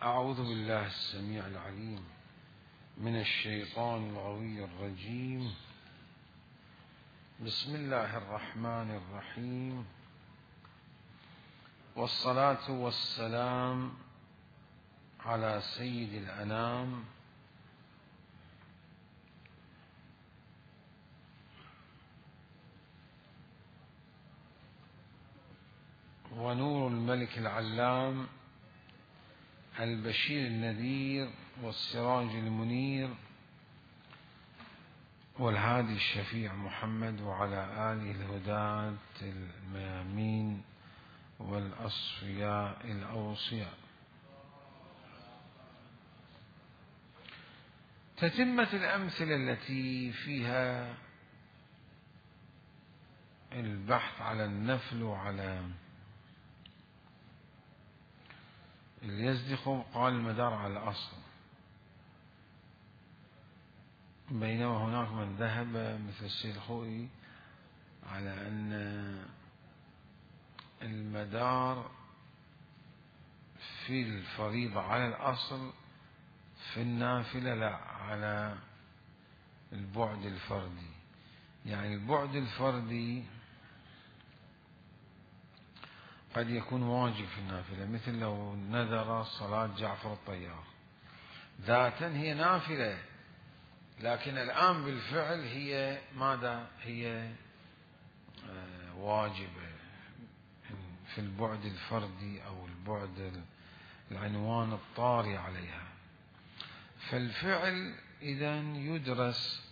أعوذ بالله السميع العليم من الشيطان الغوي الرجيم. بسم الله الرحمن الرحيم، والصلاة والسلام على سيد الأنام ونور الملك العلام البشير النذير والسراج المنير والهادي الشفيع محمد وعلى آله الهداة الميامين والأصفياء الأوصياء. تتمة الأمثلة التي فيها البحث على النفل وعلى اليزدق، قال المدار على الأصل، بينما هناك من ذهب مثل السيد الخوئي على أن المدار في الفريضة على الأصل، في النافلة لا، على البعد الفردي. يعني البعد الفردي قد يكون واجب في النافلة، مثل لو نذر صلاة جعفر الطيار ذاتا هي نافلة، لكن الآن بالفعل هي ماذا؟ هي واجبة في البعد الفردي أو البعد العنوان الطاري عليها. فالفعل إذن يدرس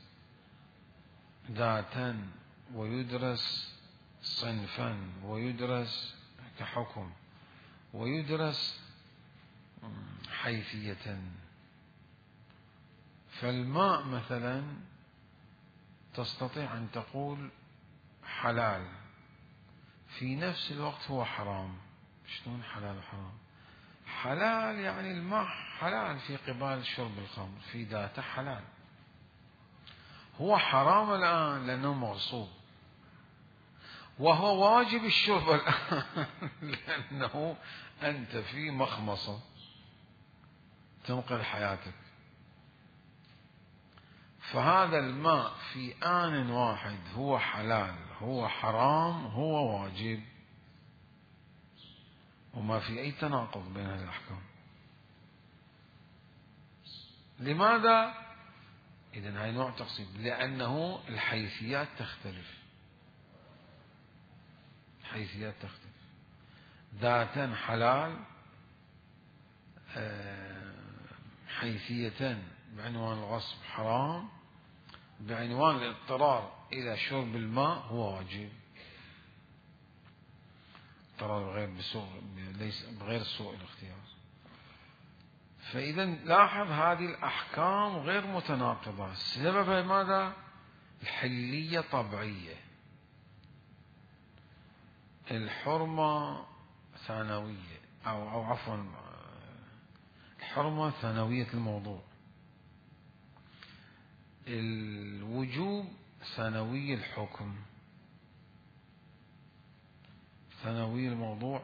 ذاتا ويدرس صنفا ويدرس كحكم ويدرس حيثية. فالماء مثلا تستطيع أن تقول حلال، في نفس الوقت هو حرام. شلون حلال وحرام؟ حلال يعني الماء حلال في قبال شرب الخمر، في ذاته حلال. هو حرام الآن لأنه مغصوب، وهو واجب الشرب الآن لأنه أنت في مخمصة تنقذ حياتك. فهذا الماء في آن واحد هو حلال، هو حرام، هو واجب، وما في أي تناقض بين هذه الأحكام. لماذا؟ إذن هاي نوع تقسيم، لأنه الحيثيات تختلف. حيثيات تختلف، ذاتا حلال، حيثية بعنوان الغصب حرام، بعنوان الاضطرار إلى شرب الماء هو واجب. اضطرار بغير سوء الاختيار. فإذا لاحظ هذه الأحكام غير متناقضة. سبب ماذا؟ الحلية طبيعية، الحرمة ثانوية، أو عفوا الحرمة ثانوية الموضوع، الوجوب ثانوي الحكم. ثانوي الموضوع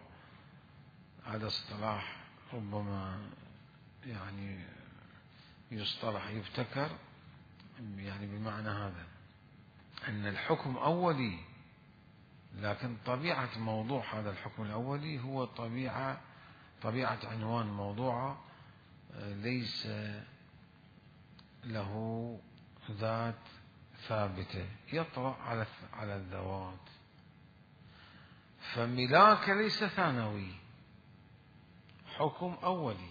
هذا اصطلاح ربما يعني يصطلح يبتكر، يعني بمعنى هذا أن الحكم أولي، لكن طبيعة موضوع هذا الحكم الأولي هو طبيعة عنوان موضوعه، ليس له ذات ثابتة، يطرأ على الذوات. فملاك ليس ثانوي، حكم أولي.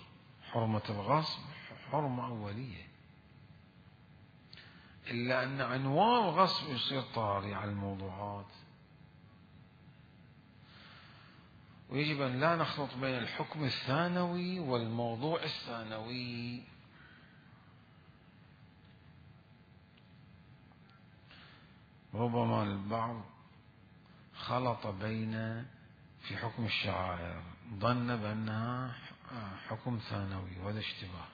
حرمة الغصب حرمة أولية، إلا أن عنوان الغصب يصير طاري على الموضوعات. ويجب أن لا نخلط بين الحكم الثانوي والموضوع الثانوي. ربما البعض خلط بين في حكم الشعائر، ظن بأنها حكم ثانوي، وهذا اشتباه.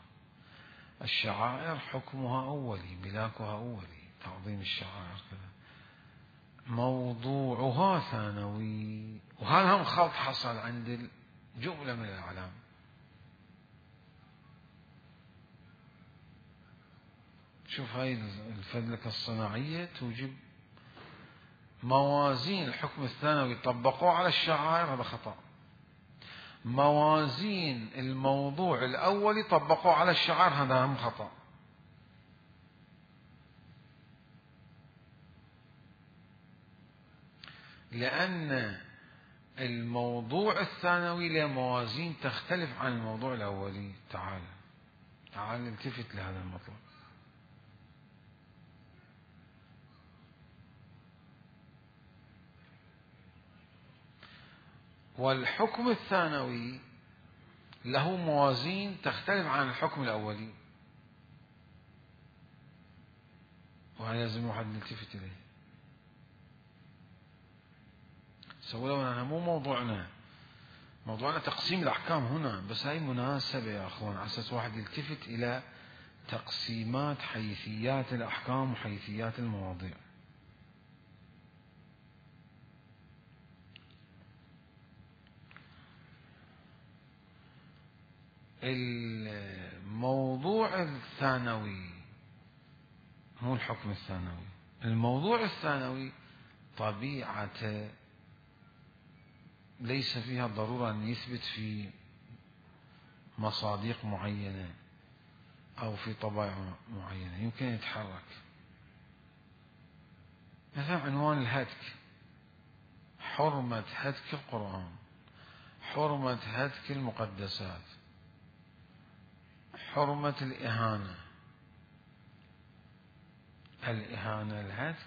الشعائر حكمها أولي، ملاكها أولي، تعظيم الشعائر كذا، موضوعها ثانوي. وهذا هم خلط حصل عند جملة من الأعلام. شوف هاي الفلكة الصناعية توجب موازين الحكم الثانوي طبقوه على الشعائر، هذا خطأ. موازين الموضوع الأولي طبقوه على الشعائر، هذا هم خطأ. لأن الموضوع الثانوي له موازين تختلف عن الموضوع الأولي. تعال نلتفت لهذا المطلب. والحكم الثانوي له موازين تختلف عن الحكم الأولي، وهذا لازم واحد نلتفت إليه. ولو أنها مو موضوعنا تقسيم الأحكام هنا، بس هاي مناسبة يا أخوان على أساس واحد يلتفت إلى تقسيمات حيثيات الأحكام وحيثيات المواضيع. الموضوع الثانوي مو الحكم الثانوي، الموضوع الثانوي طبيعته ليس فيها ضرورة أن يثبت في مصادق معينة أو في طبائع معينة، يمكن يتحرك. مثلا عنوان الهتك، حرمة هتك القرآن، حرمة هتك المقدسات، حرمة الإهانة. الإهانة الهتك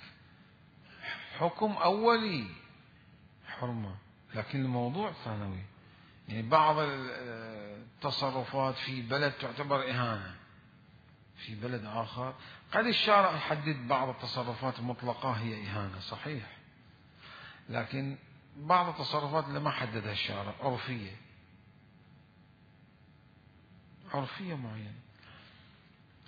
حكم أولي حرمة، لكن الموضوع ثانوي. يعني بعض التصرفات في بلد تعتبر إهانة، في بلد آخر قد الشارع يحدد بعض التصرفات المطلقة هي إهانة، صحيح، لكن بعض التصرفات اللي ما حددها الشارع عرفية معينة.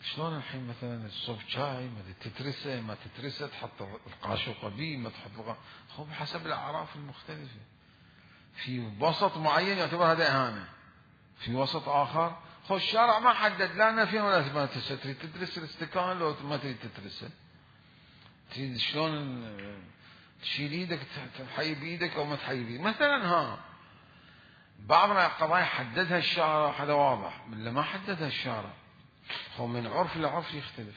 شلون الحين مثلا الصب شاي ما تترسه ما تترسه، تحط القاشوقة بيه ما تحط هو بحسب الأعراف المختلفة. في وسط معين يعتبر هذا إهانة، في وسط آخر الشارع ما حدد لا نفيا ولا إثباتا. تريد تدرس الاستكان لو ما تريد تدرسه، تريد شلون تشيل ايدك تحيي بايدك او ما تحيي بايدك مثلا. بعض القضايا حددها الشارع، هذا واضح، من ما حددها الشارع هو من عرف لعرف يختلف.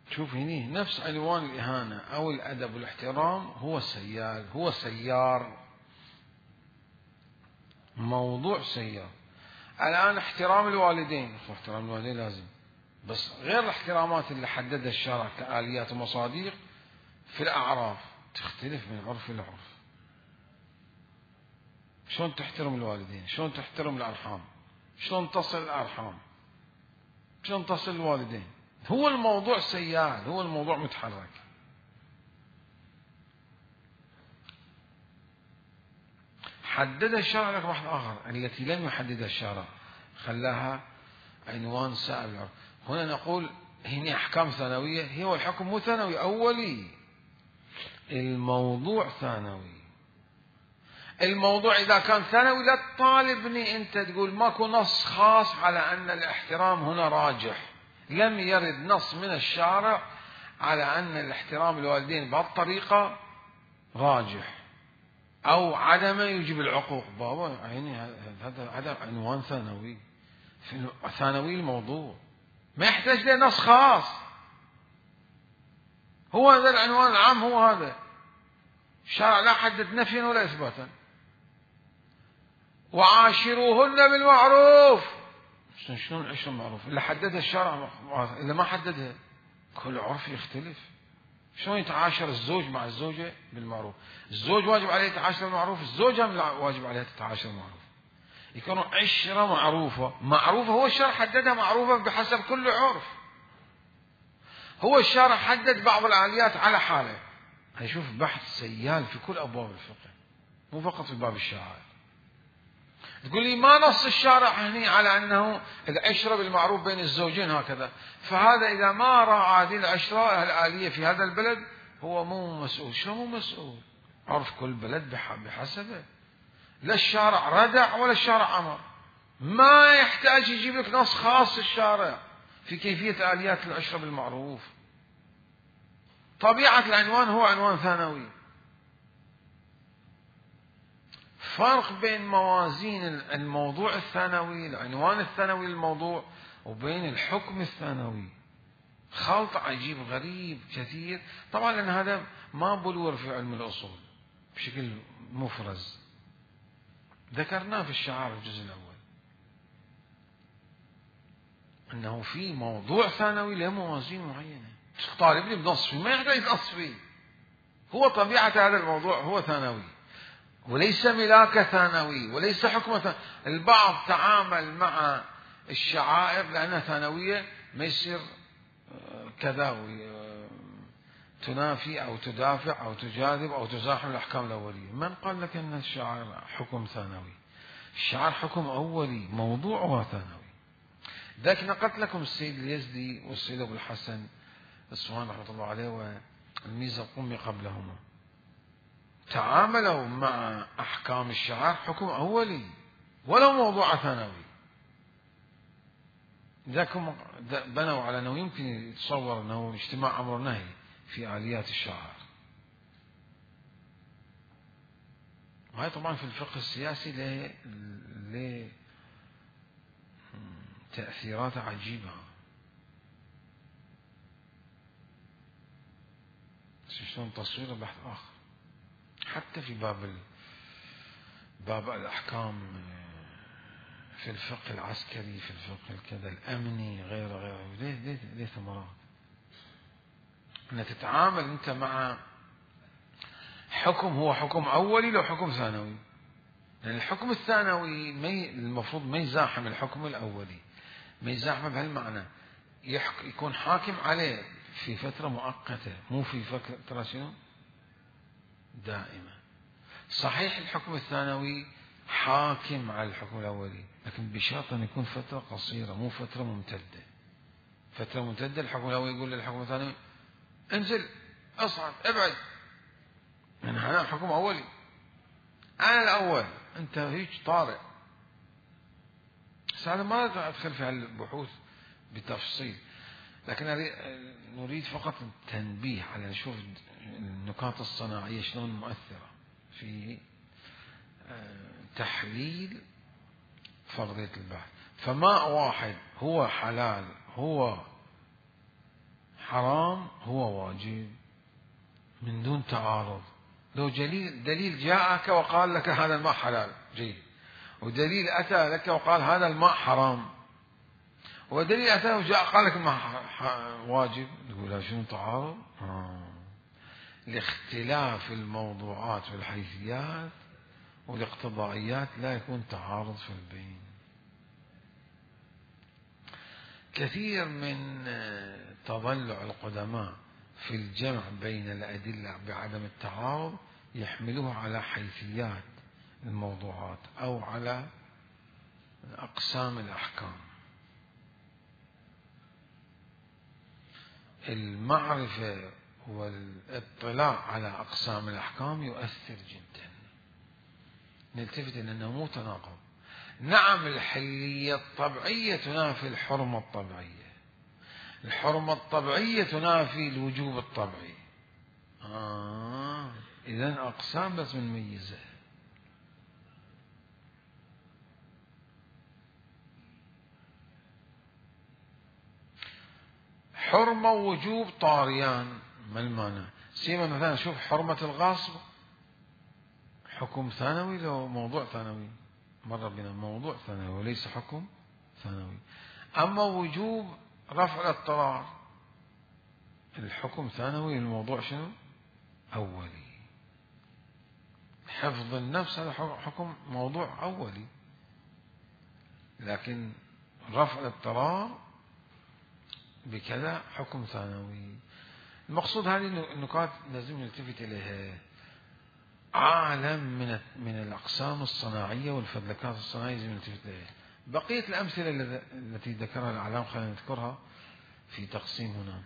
شوف هني نفس عنوان الإهانة أو الأدب والاحترام هو سيار، موضوع سيار. الآن احترام الوالدين، احترام الوالدين لازم، بس غير الاحترامات اللي حددها الشارع كآليات ومصادق في الأعراف تختلف من عرف لعرف. شلون تحترم الوالدين، شلون تحترم الأرحام، شلون تصل الأرحام، شلون تصل الوالدين. هو الموضوع سيال، هو الموضوع متحرك. حددها الشارع لك واحد آخر، التي لم يحددها الشارع خلاها عنوان سائر العرف. هنا نقول هنا أحكام ثانوية، هي والحكم مو ثانوي أولي، الموضوع ثانوي. الموضوع إذا كان ثانوي لا تطالبني أنت تقول ماكو نص خاص على أن الاحترام هنا راجح. لم يرد نص من الشارع على أن الاحترام الوالدين بهالطريقة راجح أو عدمه يجب العقوق. بابا عيني هذا عنوان ثانوي، في ثانوي الموضوع ما يحتاج له نص خاص، هو هذا العنوان العام، هو هذا الشارع لا حدد نفيا ولا إثباتا. وعاشروهن بالمعروف. شلون العشرة بالمعروف؟ اللي حددها الشارع، اللي ما حددها كل عرف يختلف. شلون يتعاشر الزوج مع الزوجة بالمعروف؟ الزوج واجب عليه يتعاشر بالمعروف، الزوجة واجب عليها تتعاشر بالمعروف. يكونوا عشرة معروفة هو الشارع حددها معروفة بحسب كل عرف. هو الشارع حدد بعض الآليات على حاله. هيشوف بحث سيال في كل أبواب الفقه، مو فقط في باب الشعائر. تقول لي ما نص الشارع هني على أنه العشرة بالمعروف بين الزوجين هكذا، فهذا إذا ما راعى هذه العشرة الآلية في هذا البلد هو مو مسؤول. شو مو مسؤول؟ عرف كل بلد بحسبه. لا الشارع ردع ولا الشارع أمر. ما يحتاج يجيب لك نص خاص الشارع في كيفية آليات العشرة بالمعروف. طبيعة العنوان هو عنوان ثانوي. فرق بين موازين الموضوع الثانوي، العنوان الثانوي للموضوع، وبين الحكم الثانوي. خلط عجيب غريب كثير، طبعا لأن هذا ما بلور في علم الأصول بشكل مفرز، ذكرناه في الشعار الجزء الأول، أنه في موضوع ثانوي له موازين معينة. طالبني بنص فيه ما يحتاج نص فيه، هو طبيعة هذا الموضوع هو ثانوي، وليس ملاك ثانوي، وليس حكم ثانوي. البعض تعامل مع الشعائر لأنها ثانوية ما يصير كذا تنافي أو تدافع أو تجاذب أو تزاحم الأحكام الأولية. من قال لك أن الشعائر حكم ثانوي؟ الشعائر حكم أولي، موضوعها ثانوي. ذاك نقلت لكم السيد اليزدي والسيد أبو الحسن الصوان رحمة الله عليه والميزة القمي قبلهما، تعاملوا مع أحكام الشعائر حكم أولي ولو موضوع ثانوي. ذاك بنوا على أنه يمكن يتصور أنه اجتماع أمر نهي في آليات الشعائر. وهي طبعا في الفقه السياسي له تأثيرات عجيبة. شلون تصوير بحث آخر، حتى في باب الأحكام في الفقه العسكري، في الفقه الكذا الأمني، غيره ليه ثمرات. أن تتعامل أنت مع حكم هو حكم أولي لو حكم ثانوي، لأن الحكم الثانوي المفروض ما يزاحم الحكم الأولي، ما يزاحمه بهالمعنى، يكون حاكم عليه في فترة مؤقتة، مو في فترة شنو دائمة. صحيح الحكم الثانوي حاكم على الحكم الأولي، لكن بشرط أن يكون فترة قصيرة مو فترة ممتدة. فترة ممتدة الحكم الأولي يقول للحكم الثانوي انزل اصعد ابعد، يعني أنا حكم أولي، أنا الأول، أنت هيك طارئ. بس هذا ما أدخل في هالبحوث بتفصيل، لكن نريد فقط التنبيه على نشوف النقاط الصناعية شلون مؤثرة في تحليل فرضية البحث. فماء واحد هو حلال هو حرام هو واجب من دون تعارض. لو دليل جاءك وقال لك هذا الماء حلال جيد، ودليل أتى لك وقال هذا الماء حرام، ودليل أتى وجاء قال لك الماء واجب، تقول شنو تعارض؟ لاختلاف الموضوعات والحيثيات والاقتضائيات لا يكون تعارض في البين. كثير من تضلع القدماء في الجمع بين الأدلة بعدم التعارض يحملوها على حيثيات الموضوعات أو على أقسام الأحكام. المعرفة والاطلاع على أقسام الأحكام يؤثر جدا. نلتفت أنه مو تناقض. نعم الحلية الطبيعية تنافي الحرمة الطبيعية، الحرمة الطبيعية تنافي الوجوب الطبيعي. إذن أقسام بس بنميزها. حرمة ووجوب طاريان، ما المعنى؟ سيما مثلا شوف حرمة الغاصب حكم ثانوي لو موضوع ثانوي، مر بنا موضوع ثانوي وليس حكم ثانوي. أما وجوب رفع الاضطرار الحكم ثانوي، الموضوع شنو أولي. حفظ النفس هذا حكم موضوع أولي، لكن رفع الاضطرار بكذا حكم ثانوي. المقصود هذه النقاط لازم نلتفت إليها. عالم من الأقسام الصناعية والفذلكات الصناعية لازم نلتفت إليها. بقية الأمثلة التي ذكرها الأعلام خلينا نذكرها في تقسيم هنا.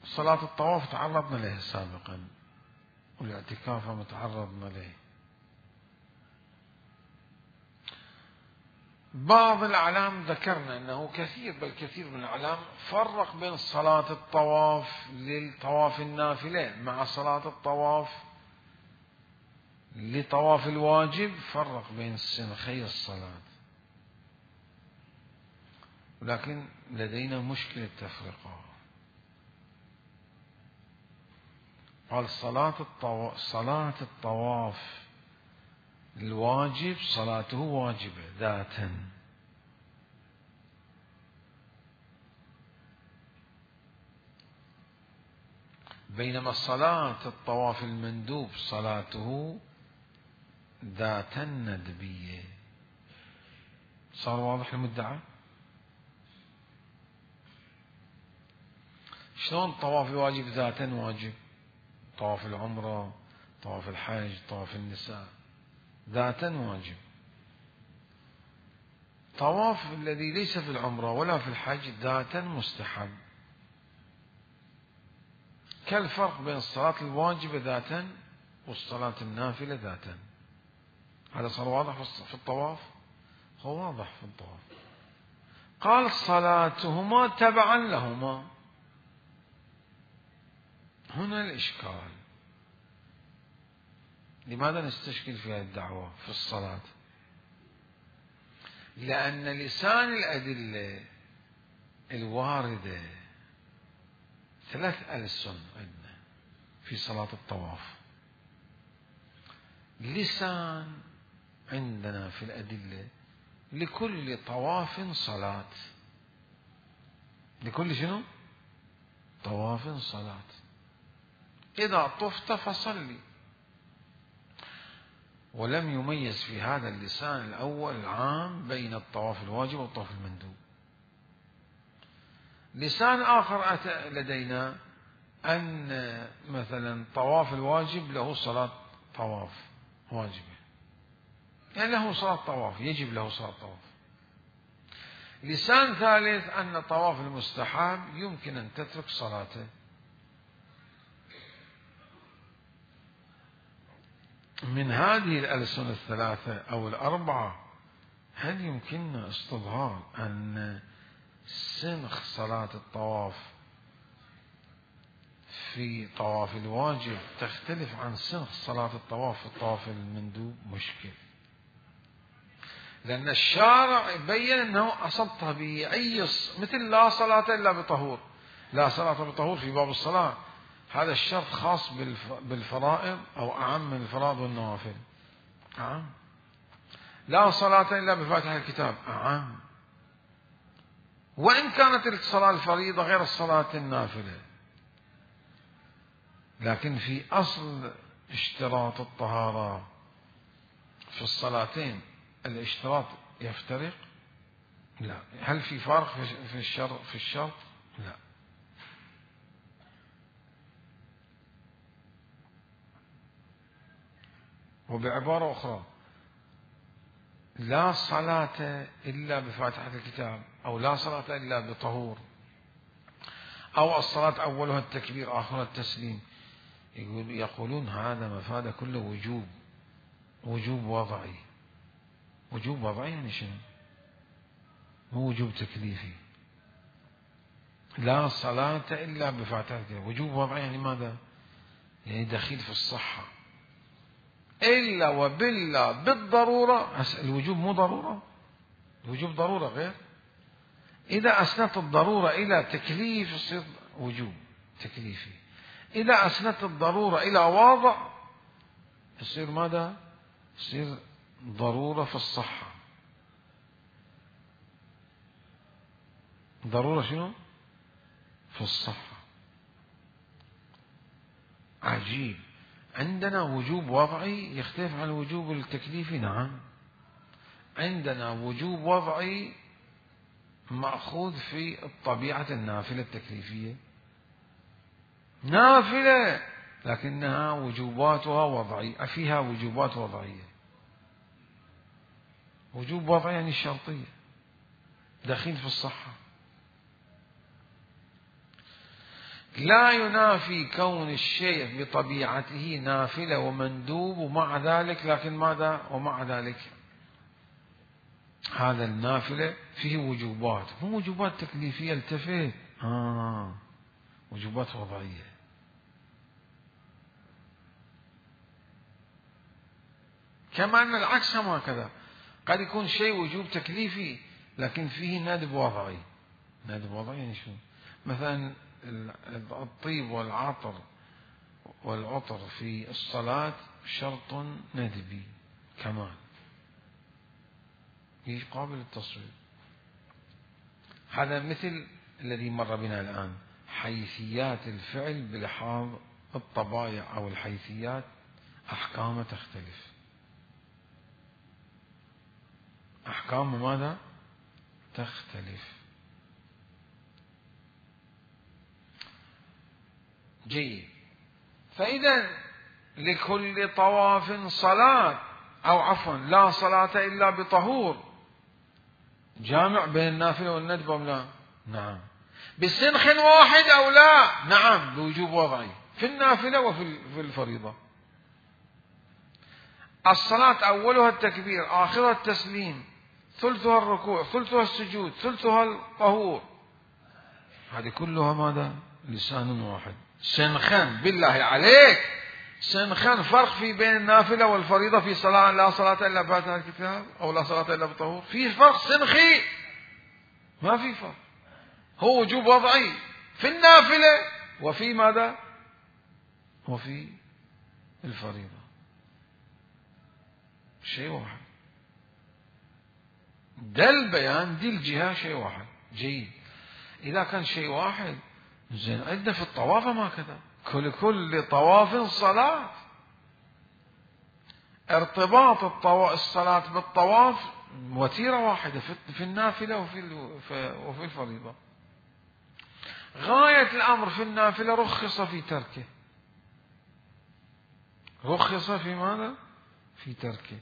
صلاة الطواف تعرضنا لها سابقا. والاعتكاف متعرضنا له. بعض الأعلام ذكرنا أنه كثير من الأعلام فرق بين صلاة الطواف للطواف النافلة مع صلاة الطواف لطواف الواجب، فرق بين سنخي الصلاة، ولكن لدينا مشكلة تفرقة. قال صلاة الطواف الواجب صلاته واجبة ذاتا، بينما صلاة الطواف المندوب صلاته ذاتا ندبية. صار واضح المدعى؟ شلون طواف الواجب ذاتا واجب؟ طواف العمرة، طواف الحج، طواف النساء ذاتا واجب. طواف الذي ليس في العمرة ولا في الحج ذاتا مستحب. كالفرق بين الصلاة الواجبة ذاتا والصلاة النافلة ذاتا. هذا صار واضح في الطواف؟ هو واضح في الطواف. قال صلاتهما تبعا لهما. هنا الإشكال. لماذا نستشكل في هذه الدعوة في الصلاة؟ لأن لسان الأدلة الواردة 3 ألسن عندنا في صلاة الطواف. لسان عندنا في الأدلة لكل طواف صلاة. لكل شنو؟ طواف صلاة. إذا طفت فصلي. ولم يميز في هذا اللسان الأول العام بين الطواف الواجب والطواف المندوب. لسان آخر أتى لدينا أن مثلا طواف الواجب له صلاة طواف واجبة، يعني له صلاة طواف، يجب له صلاة طواف. لسان ثالث أن طواف المستحب يمكن أن تترك صلاته. من هذه الألسنة 3 أو 4 هل يمكننا استظهار أن سنخ صلاة الطواف في طواف الواجب تختلف عن سنخ صلاة الطواف في الطواف المندوب؟ مشكل، لأن الشارع بين أنه أصل طبيعي مثل لا صلاة إلا بطهور. لا صلاة بطهور في باب الصلاة، هذا الشرط خاص بالفرائض أو أعم من الفرائض والنوافل. أعم. لا صلاة إلا بفاتحة الكتاب. أعم. وإن كانت الصلاة الفريضة غير الصلاة النافلة، لكن في أصل اشتراط الطهارة في الصلاتين الاشتراط يفترق؟ لا. هل في فرق في الشرط؟ لا. وبعبارة أخرى، لا صلاة إلا بفاتحة الكتاب، أو لا صلاة إلا بطهور، أو الصلاة أولها التكبير آخرها التسليم، يقولون هذا مفاد كله وجوب وضعي. وجوب وضعي يعني شنو؟ مو وجوب تكليفي. لا صلاة إلا بفاتحة الكتاب، وجوب وضعي يعني ماذا؟ يعني دخيل في الصحة. إلا وبالله بالضرورة. الوجوب مو ضرورة، الوجوب ضرورة غير. إذا أسندت الضرورة إلى تكليف يصير وجوب تكليفي. إذا أسندت الضرورة إلى واضع يصير ماذا؟ يصير ضرورة في الصحة. ضرورة شنو؟ في الصحة. عجيب. عندنا وجوب وضعي يختلف عن الوجوب التكليفي. نعم، عندنا وجوب وضعي مأخوذ في الطبيعة النافلة التكليفية، نافلة لكنها وجوباتها وضعية، فيها وجوبات وضعية. وجوب وضعي يعني الشرطية، دخيل في الصحة. لا ينافي كون الشيء بطبيعته نافلة ومندوب، ومع ذلك لكن ماذا؟ ومع ذلك هذا النافلة فيه وجوبات، مو وجوبات تكليفية التفت، وجوبات وضعية. كما أن العكس هم هكذا، قد يكون شيء وجوب تكليفي لكن فيه ندب وضعي. ندب وضعي يعني شو؟ مثلا الطيب والعطر والعطر في الصلاة شرط ندبي كمال قابل للتصوير. هذا مثل الذي مر بنا الآن، حيثيات الفعل بلحاظ الطبائع أو الحيثيات أحكامه تختلف. أحكام ماذا؟ تختلف. جيد. فإذا لكل طواف صلاة، أو عفوا لا صلاة إلا بطهور، جامع بين النافلة والندب أو لا؟ نعم. بسنخ واحد أو لا؟ نعم، بوجوب وضعي في النافلة وفي الفريضة. الصلاة أولها التكبير، آخرها التسليم، ثلثها الركوع، ثلثها السجود، ثلثها الطهور، هذه كلها ماذا؟ لسان واحد. سنخان بالله عليك، سنخان فرق في بين النافلة والفريضة في صلاة لا صلاة إلا بفاتحة الكتاب أو لا صلاة إلا بالطهور؟ في فرق سنخي؟ ما في فرق، هو وجوب وضعي في النافلة وفي ماذا؟ وفي الفريضة، شيء واحد. ده البيان، دي الجهة شيء واحد. جيد. إذا كان شيء واحد زين، عندنا في الطواف ما كذا، كل طواف صلاة. ارتباط الصلاة بالطواف وتيرة واحدة في النافلة وفي الفريضة. غاية الأمر في النافلة رخص في تركه. رخص في ماذا؟ في تركه.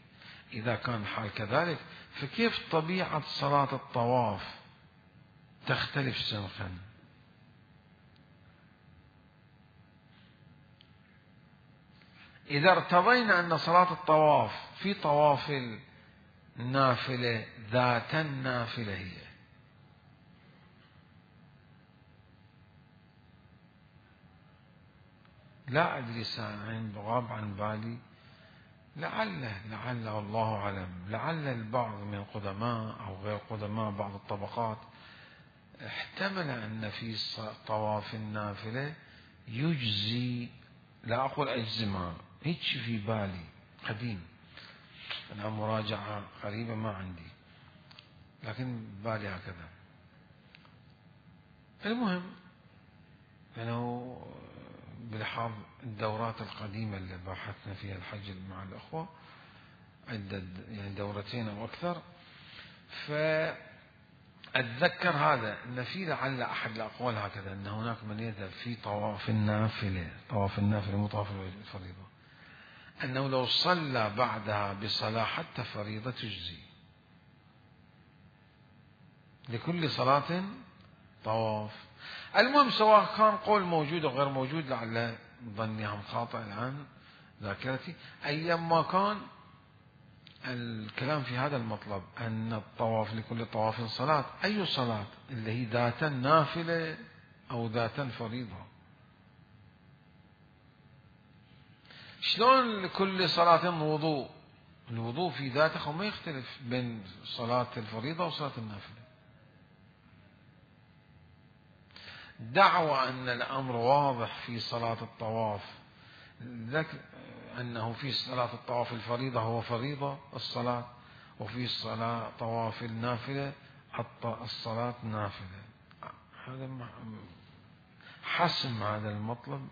إذا كان الحال كذلك، فكيف طبيعة صلاة الطواف تختلف سنخا؟ إذا ارتضينا أن صلاة الطواف في طواف النافلة ذات النافلة هي، لا أدري ساعين غاب عن بالي، لعل والله أعلم، لعل البعض من القدماء أو غير قدماء بعض الطبقات احتمل أن في طواف النافلة يجزي، لا أقول أجزمها، هيك في بالي قديم، أنا مراجعة قريبة ما عندي، لكن بالي هكذا. المهم أنه بلحاظ الدورات القديمة اللي باحثنا فيها الحج مع الأخوة، عدة يعني دورتين أو أكثر، فأتذكر هذا أن في لعل أحد الأقوال هكذا، أن هناك من يذهب في طواف النافلة مو طواف الفريضة، أنه لو صلى بعدها بصلاة حتى فريضة تجزي، لكل صلاة طواف. المهم سواء كان قول موجود أو غير موجود، لعل ظني هم خاطئ الآن ذاكرتي، أيما كان الكلام في هذا المطلب، أن الطواف لكل طواف صلاة. أي صلاة؟ اللي هي ذات نافلة أو ذات فريضة. شلون لكل صلاة وضوء؟ الوضوء في ذاته ما يختلف بين صلاة الفريضة وصلاة النافلة. دعوى أن الأمر واضح في صلاة الطواف، أنه في صلاة الطواف الفريضة هو فريضة الصلاة، وفي صلاة طواف النافلة الصلاة نافلة. هذا حسم هذا المطلب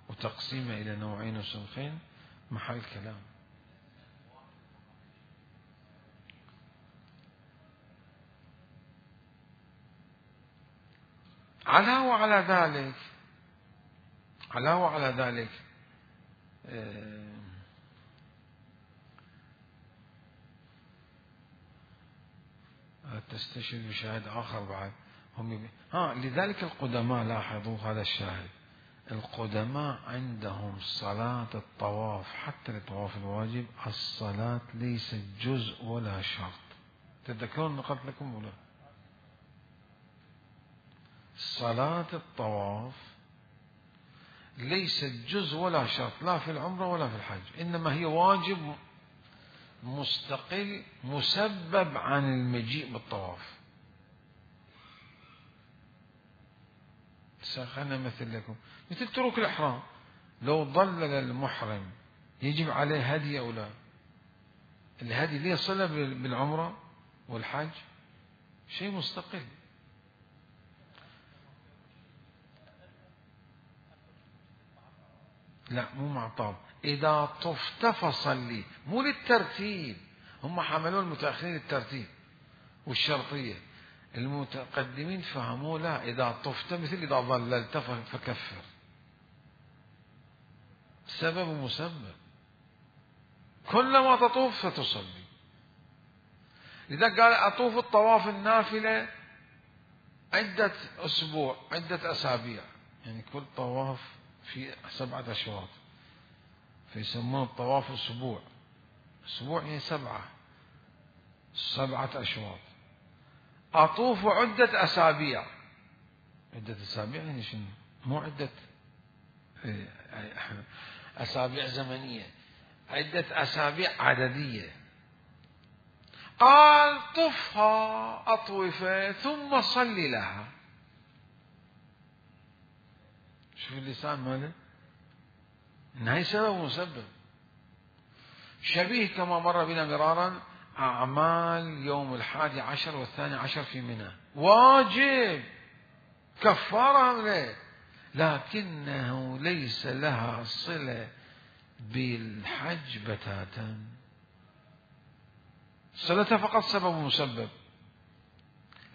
وتقسيمه إلى نوعين وصنفين محل كلام. علاوة على ذلك تستشهد بشاهد آخر بعد هم لذلك القدماء لاحظوا هذا الشاهد، القدماء عندهم صلاة الطواف حتى الطواف الواجب الصلاة ليست جزء ولا شرط. تذكرون نقلت لكم ولا؟ صلاة الطواف ليست جزء ولا شرط، لا في العمرة ولا في الحج، إنما هي واجب مستقل مسبب عن المجيء بالطواف. خلنا مثل لكم مثل ترك الإحرام، لو ضلل المحرم يجب عليه هدي أو لا؟ الهدي ليه صلة بالعمرة والحج؟ شيء مستقل. لا مو مع طاب، إذا طفت فصلي، مو للترتيب. هم حملوا المتأخرين الترتيب والشرطية، المتقدمين فهموا لا، إذا طفت مثل إذا ضللت فكفر. سبب ومسبب، كلما تطوف فتصلي. لذا قال أطوف الطواف النافلة عدة أسبوع، عدة أسابيع، يعني كل طواف في 7 أشواط، فيسمون الطواف أسبوع. أسبوع يعني 7 أشواط. أطوف عدة أسابيع، عدة أسابيع يعني شنو؟ مو عدة أسابيع زمنية، عدة أسابيع عددية. قال طفها أطوفة ثم صلي لها. شوف اللسان ماله، إنها سبب ومسبب. شبيه كما مر بنا مرارا أعمال يوم 11 و12 في منى، واجب كفارة له، لكنه ليس لها صلة بالحج بتاتا، صلتها فقط سبب ومسبب،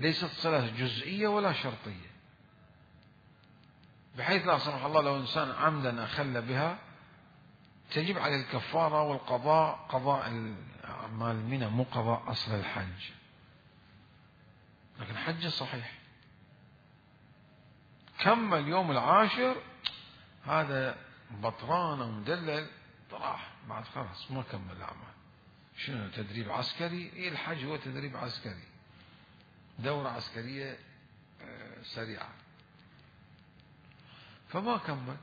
ليست صلة جزئية ولا شرطية، بحيث لا سمح الله لو إنسان عمدا أخل بها تجب عليه الكفارة والقضاء، قضاء أعمال منى مو قضاء أصل الحج، لكن حج صحيح. كمل يوم 10 هذا بطران ومدلل راح بعد خلاص ما كمل الأعمال. شنو تدريب عسكري؟ إيه الحج هو تدريب عسكري، دورة عسكرية سريعة، فما كمل.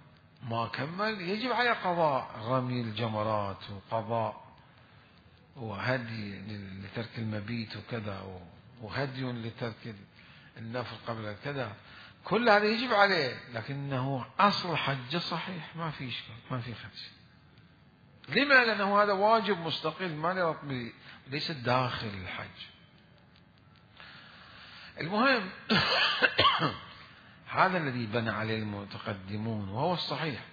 ما كمل يجب عليه قضاء رمي الجمرات وقضاء وهدي لترك المبيت وكذا، وهدي لترك النفل قبل كذا، كل هذا يجب عليه، لكنه أصل حج صحيح ما في إشكال، ما في خدش. لما؟ لأنه هذا واجب مستقل ما له ربط، ليس داخل الحج. المهم هذا الذي بنى عليه المتقدمون وهو الصحيح.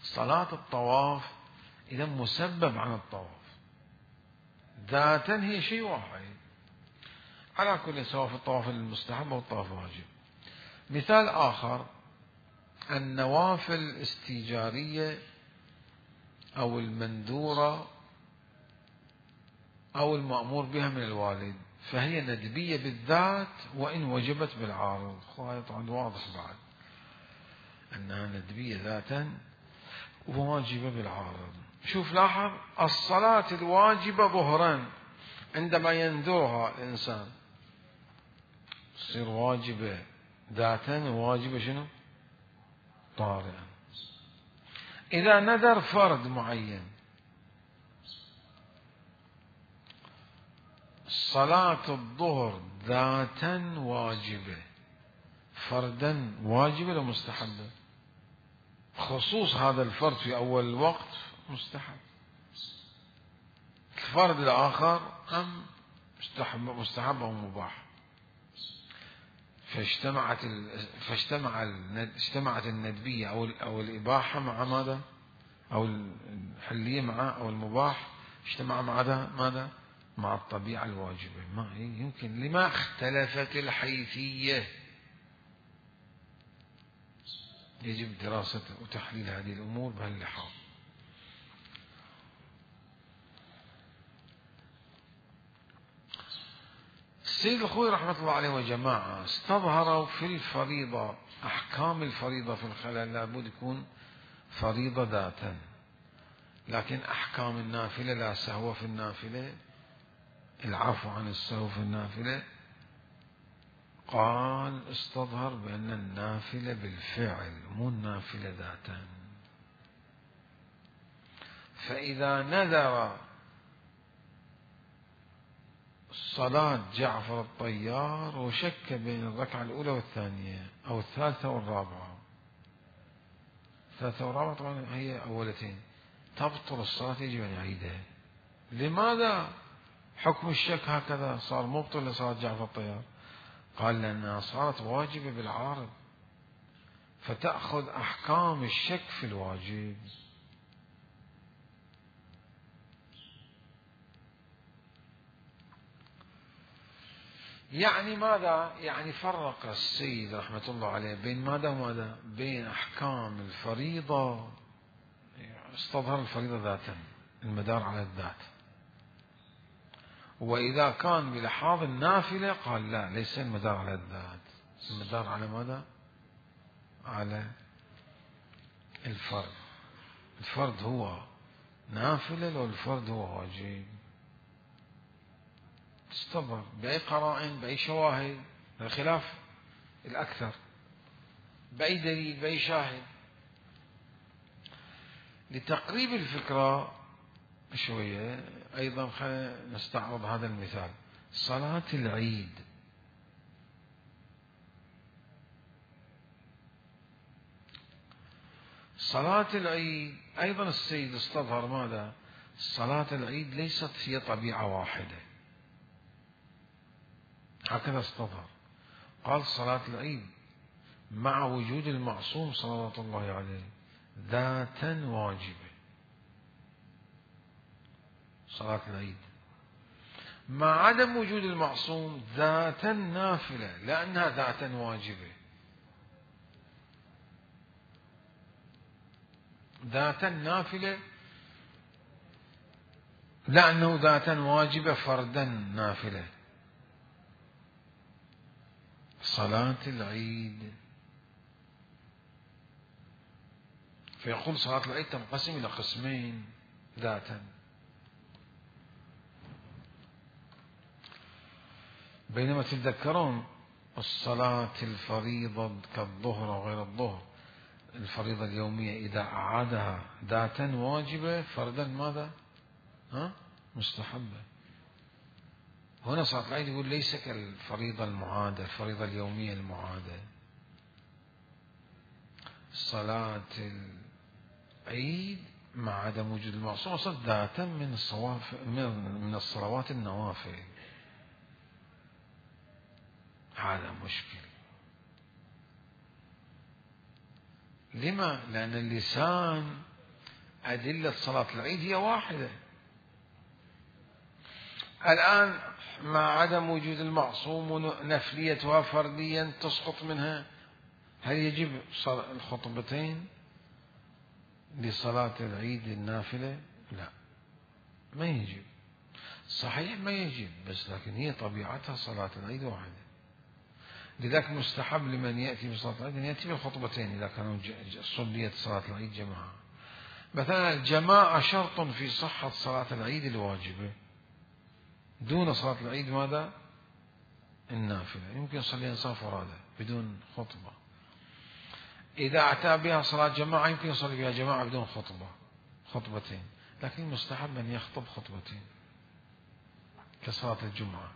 صلاة الطواف إذا مسبب عن الطواف، ذاتا هي شيء واحد على كل، سواء في الطواف المستحب أو الطواف الواجب. مثال آخر، النوافل الاستيجارية أو المندورة أو المأمور بها من الوالد، فهي ندبية بالذات وإن وجبت بالعارض. هذا طبعا واضح بعد أنها ندبية ذاتا وواجبة بالعارض. شوف لاحظ، الصلاة الواجبة ظهرا عندما ينذرها الإنسان تصير واجبة ذاتا، وواجبة شنو؟ طارئا. إذا نذر فرض معين، صلاة الظهر ذاتا واجبة، فردا واجبة لو مستحبة؟ خصوص هذا الفرد في أول الوقت مستحب، الفرد الآخر أم مستحب أو مباح. اجتمعت الندبية أو الإباحة مع ماذا؟ أو الحلية مع أو المباح اجتمع مع ماذا؟ مع الطبيعة الواجبة. ما يمكن، لما اختلفت الحيثية. يجب دراسة وتحليل هذه الأمور بهاللحاظ. السيد الخوي رحمة الله عليه وجماعة استظهروا في الفريضة أحكام الفريضة في الخلل لابد يكون فريضة ذاتا، لكن أحكام النافلة لا سهو في النافلة، العفو عن السهو في النافلة، قال استظهر بأن النافلة بالفعل مو النافلة ذاتا. فإذا نذر صلاة جعفر الطيار وشك بين الركعة الأولى والثانية أو الثالثة والرابعة، الثالثة والرابعة طبعا هي أولتين، تبطل الصلاة يجب أن يعيدها. لماذا حكم الشك هكذا صار مبطل لصلاة جعفر الطيار؟ قال لأنها صارت واجبة بالعارض، فتأخذ أحكام الشك في الواجب. يعني ماذا؟ يعني فرق السيد رحمة الله عليه بين ماذا وماذا؟ بين أحكام الفريضة، استظهر الفريضة ذاتا، المدار على الذات، وإذا كان بلحاظ النافلة قال لا، ليس المدار على الذات، المدار على ماذا؟ على الفرد. الفرد هو نافلة لو الفرد هو واجب. استظهر بأي قرائن، بأي شواهد، الخلاف الأكثر، بأي دليل، بأي شاهد. لتقريب الفكرة شوية أيضا خلينا نستعرض هذا المثال. صلاة العيد، صلاة العيد أيضا السيد استظهر ماذا؟ صلاة العيد ليست هي طبيعة واحدة، هكذا استظهر. قال صلاة العيد مع وجود المعصوم صلوات الله عليه ذاتا واجبة، صلاة العيد مع عدم وجود المعصوم ذاتا نافلة، لأنها ذاتا واجبة، ذاتا نافلة لأنه ذاتا واجبة فردا نافلة. صلاة العيد، فيقول صلاة العيد تنقسم إلى قسمين ذاتا، بينما تتذكرون الصلاة الفريضة كالظهر وغير الظهر، الفريضة اليومية إذا أعادها ذاتا واجبة فردا ماذا؟ مستحبة. هنا صلاة العيد يقول ليس كالفريضة المعادة، الفريضة اليومية المعادة. صلاة العيد مع عدم وجود المعصوم صارت ذاتا من الصلوات النوافل. هذا مشكل. لما؟ لأن اللسان أدلة صلاة العيد هي واحدة. الآن مع عدم وجود المعصوم ونفليتها فرديا تسقط منها، هل يجب الخطبتين لصلاة العيد النافلة؟ لا، ما يجب. صحيح ما يجب، بس لكن هي طبيعتها صلاة العيد واحدة. لذلك مستحب لمن يأتي بصلاة العيد أن يأتي بالخطبتين إذا كانوا صليت صلاة العيد جماعة. مثلا الجماعة شرط في صحة صلاة العيد الواجبة، دون صلاة العيد ماذا؟ النافلة. يمكن يصلي إنسان فرادى بدون خطبة. إذا أتى بها صلاة جماعة يمكن يصلي بها جماعة بدون خطبتين، لكن مستحب أن يخطب خطبتين كصلاة الجمعة.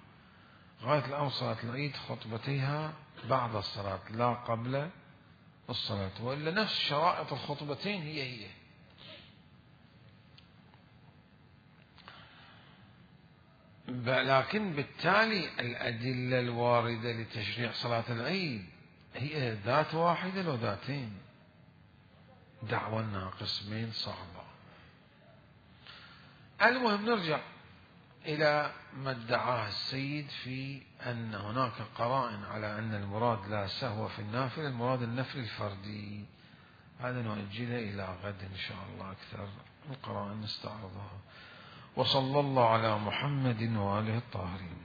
غاية الأمر صلاة العيد خطبتيها بعد الصلاة لا قبل الصلاة، وإلا نفس شرائط الخطبتين هي. لكن بالتالي الأدلة الواردة لتشريع صلاة العيد هي ذات واحدة لو ذاتين. دعوى قسمين صعبة. المهم نرجع إلى ما ادعاه السيد في أن هناك قرائن على أن المراد لا سهو في النافلة، المراد النفل الفردي. هذا نؤجله إلى غد إن شاء الله، أكثر القرائن نستعرضها. وصلى الله على محمد وآله الطاهرين.